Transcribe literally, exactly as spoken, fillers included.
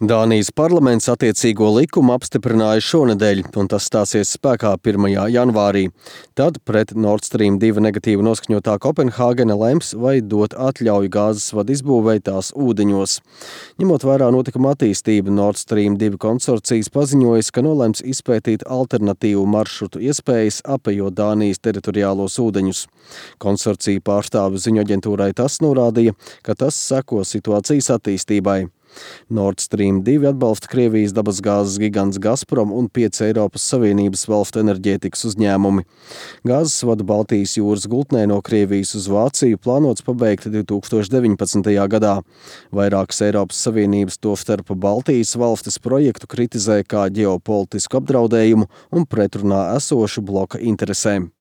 Dānijas parlaments attiecīgo likumu apstiprināja šonedēļ, un tas stāsies spēkā pirmajā janvārī. Tad pret Nord Stream divi negatīvi noskaņotā Kopenhāgena lems, vai dot atļauju gāzes vadu izbūvei tās ūdeņos. Ņemot vērā notikuma attīstību, Nord Stream divi konsorcijas paziņojas, ka nolemts izpētīt alternatīvu maršrutu iespējas, apejot Dānijas teritoriālos ūdeņus. Konsorcija pārstāve ziņu aģentūrai tas norādīja, ka tas seko situācijas attīstībai. Nord Stream divi atbalsta Krievijas dabasgāzes gigants Gazprom un pieci Eiropas Savienības valstu enerģētikas uzņēmumi. Gāzes vadu Baltijas jūras gultnē no Krievijas uz Vāciju plānots pabeigt divtūkstoš deviņpadsmitajā gadā. Vairākas Eiropas Savienības, tostarp Baltijas valstis, projektu kritizē kā ģeopolitisku apdraudējumu un pretrunā esošu bloka interesēm.